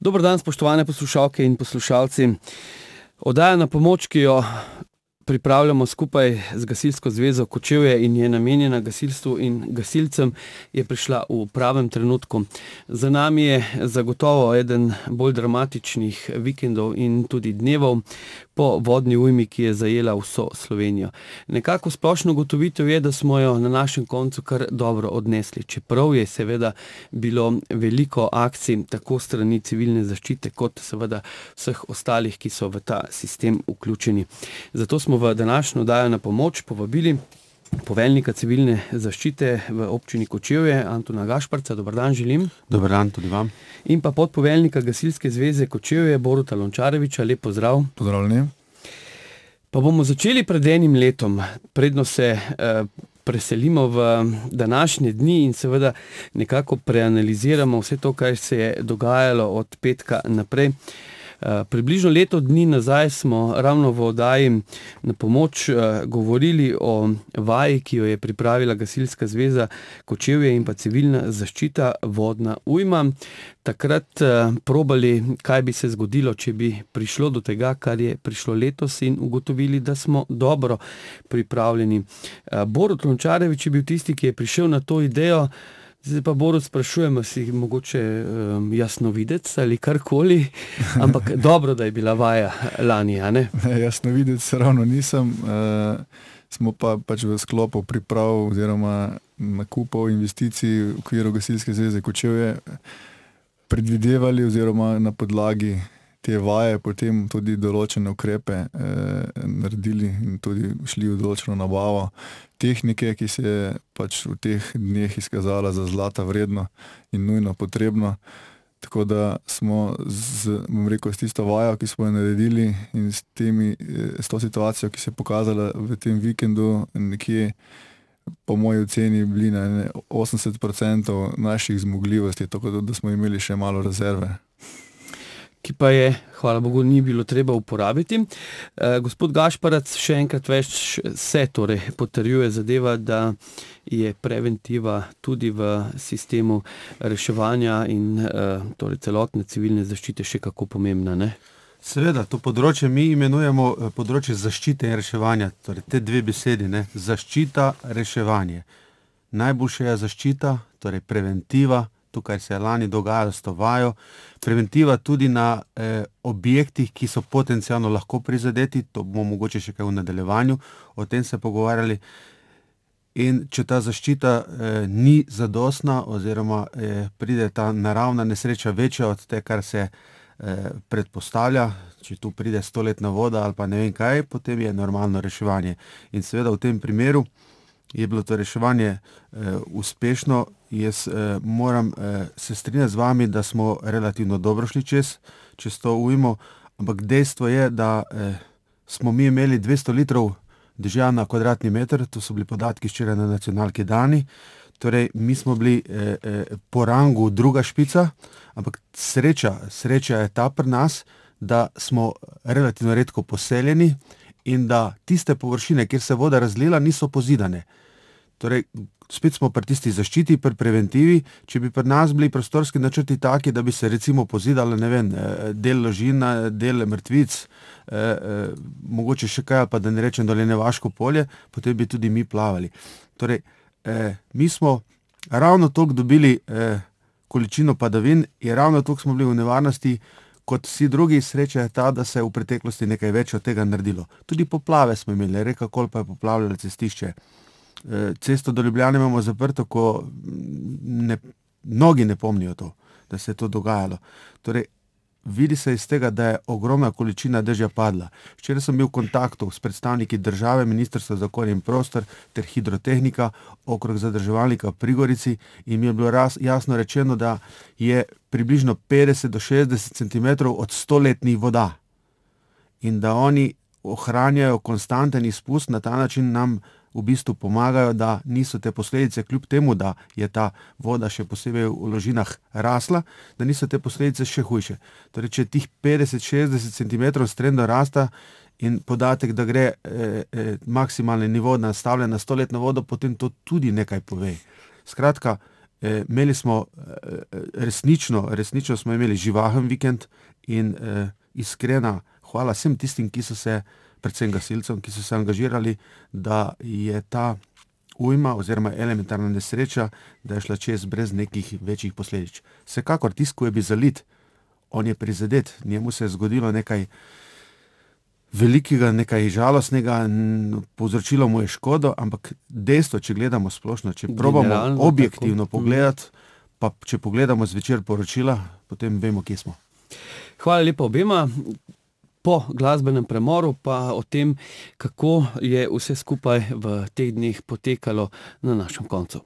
Dober dan, spoštovane poslušalke in poslušalci. Oddaja Na pomoč, ki jo pripravljamo skupaj z Gasilsko zvezo Kočevje in je namenjena gasilstvu in gasilcem, je prišla v pravem trenutku. Za nami je zagotovo eden bolj dramatičnih vikendov in tudi dnevov po vodni ujmi, ki je zajela vso Slovenijo. Nekako splošno ugotovitev je, da smo jo na našem koncu kar dobro odnesli. Čeprav je seveda bilo veliko akcij tako strani civilne zaščite, kot seveda vseh ostalih, ki so v ta sistem vključeni. Zato smo v današnjo oddajo Na pomoč povabili poveljnika civilne zaščite v občini Kočevje, Antona Gašperca. Dober dan želim. Dober dan tudi vam. In pa podpoveljnika Gasilske zveze Kočevje, Boruta Lončareviča. Lep pozdrav. Pozdravljeni. Pa bomo začeli pred enim letom, predno se preselimo v današnje dni in seveda nekako preanaliziramo vse to, kar se je dogajalo od petka naprej. Približno leto dni nazaj smo ravno v oddaji Na pomoč govorili o vaji, ki jo je pripravila Gasilska zveza Kočevje in pa civilna zaščita vodna ujma. Takrat probali, kaj bi se zgodilo, če bi prišlo do tega, kar je prišlo letos, in ugotovili, da smo dobro pripravljeni. Borut Lončarevič je bil tisti, ki je prišel na to idejo. Zdaj pa, Borut, sprašujemo si mogoče jasnovidec ali karkoli, ampak dobro, da je bila vaja lani, a ne? Jasnovidec ravno nisem, smo pa pač v sklopu priprav oziroma nakupov investicij v okviru Gasilske zveze Kočevje predvidevali oziroma na podlagi te vaje potem tudi določene ukrepe naredili in tudi šli v določeno nabavo tehnike, ki se je pač v teh dneh izkazala za zlata vredno in nujno potrebno. Tako da smo s tisto vajo, ki smo jo naredili, in s to situacijo, ki se je pokazala v tem vikendu, nekje po moji oceni bili na 80% naših zmogljivosti, tako da smo imeli še malo rezerve. Ki pa je, hvala Bogu, ni bilo treba uporabiti. Gospod Gašparac, še enkrat več se torej potrjuje zadeva, da je preventiva tudi v sistemu reševanja in torej celotne civilne zaščite še kako pomembna, ne? Seveda, to področje mi imenujemo področje zaščite in reševanja, torej te dve besedi, ne? Zaščita, reševanje. Najboljša je zaščita, torej preventiva, to, kar se je lani dogajalo s to vajo, preventiva tudi na objektih, ki so potencialno lahko prizadeti, to bomo mogoče še kaj v nadaljevanju o tem se pogovarjali. In če ta zaščita ni zadostna oziroma pride ta naravna nesreča večja od te, kar se predpostavlja, če tu pride 100-letna voda ali pa ne vem kaj, potem je normalno reševanje. In seveda v tem primeru je bilo to reševanje uspešno. Jaz moram se strinjati z vami, da smo relativno dobro šli čez to ujmo, ampak dejstvo je, da smo mi imeli 200 litrov dežja na kvadratni meter, to so bili podatki včeraj na nacionalki dani, torej mi smo bili po rangu druga špica, ampak sreča je ta pri nas, da smo relativno redko poseljeni in da tiste površine, kjer se voda razlila, niso pozidane. Torej, spet smo pri tisti zaščiti, pri preventivi. Če bi pri nas bili prostorski načrti taki, da bi se recimo pozidali, ne vem, del ložina, del mrtvic, mogoče še kaj, ali pa da ne rečem Dolenjevaško polje, potem bi tudi mi plavali. Torej, mi smo ravno toliko dobili količino padavin in ravno toliko smo bili v nevarnosti kot vsi drugi. Sreča je ta, da se je v preteklosti nekaj več od tega naredilo. Tudi poplave smo imeli, reka Kolpa je poplavljala cestišče. Cesto do Ljubljane imamo zaprto, ko mnogi ne pomnijo to, da se je to dogajalo. Torej, vidi se iz tega, da je ogromna količina dežja padla. Včeraj sem bil v kontaktu s predstavniki države, Ministrstva za okolje in prostor ter hidrotehnika, okrog zadrževalnika pri Gorici, in mi je bilo jasno rečeno, da je približno 50 do 60 centimetrov od 100-letnih voda in da oni ohranjajo konstanten izpust, na ta način nam v bistvu pomagajo, da niso te posledice, kljub temu, da je ta voda še posebej v ložinah rasla, da niso te posledice še hujše. Torej, če tih 50-60 cm strendno rasta in podatek, da gre maksimalni nivo nastavljen na 100-letno vodo, potem to tudi nekaj pove. Skratka, Imeli smo resnično smo imeli živahen vikend in iskrena hvala vsem tistim, ki so se, predvsem gasilcem, ki so se angažirali, da je ta ujma oziroma elementarna nesreča, da je šla čez brez nekih večjih posledic. Vsekakor tisti, ko je bil zalit, on je prizadet, njemu se je zgodilo nekaj velikega, nekaj žalostnega, povzročilo mu je škodo, ampak dejstvo, če gledamo splošno, če probamo Generalno objektivno tako. pogledati, pa če pogledamo zvečer poročila, potem vemo, kje smo. Hvala lepa obema. Po glasbenem premoru pa o tem, kako je vse skupaj v teh dneh potekalo na našem koncu.